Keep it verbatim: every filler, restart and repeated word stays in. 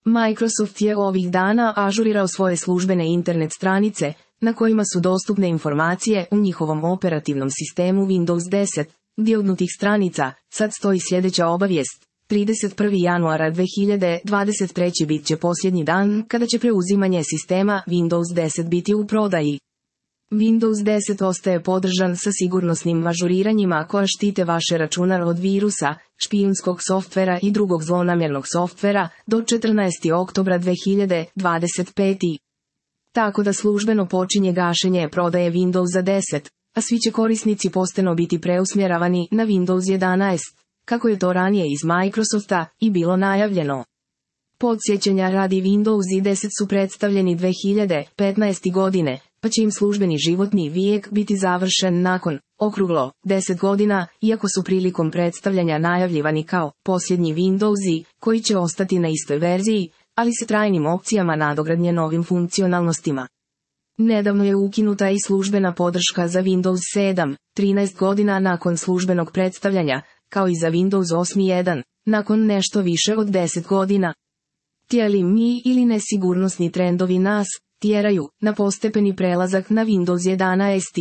Microsoft je ovih dana ažurirao svoje službene internet stranice, na kojima su dostupne informacije u njihovom operativnom sistemu Windows deset, gdje od nutih stranica sad stoji sljedeća obavijest. trideset prvog januara dve hiljade dvadeset treće bit će posljednji dan kada će preuzimanje sistema Windows deset biti u prodaji. Windows deset ostaje podržan sa sigurnosnim ažuriranjima koja štite vaše računar od virusa, špijunskog softvera i drugog zlonamjernog softvera do četrnaestog oktobra dve hiljade dvadeset pete. Tako da službeno počinje gašenje prodaje Windowsa deset, a svi će korisnici postepeno biti preusmjeravani na Windows jedanaest, kako je to ranije iz Microsofta i bilo najavljeno. Podsjećanja radi Windows deset su predstavljeni dve hiljade petnaeste. godine, pa će im službeni životni vijek biti završen nakon, okruglo, deset godina, iako su prilikom predstavljanja najavljivani kao posljednji Windowsi, koji će ostati na istoj verziji, ali sa trajnim opcijama nadogradnje novim funkcionalnostima. Nedavno je ukinuta i službena podrška za Windows sedam, trinaest godina nakon službenog predstavljanja, kao i za Windows osam jedan, nakon nešto više od deset godina. Tijeli mi ili nesigurnosni trendovi nas tjeraju na postepeni prelazak na Windows jedanaest.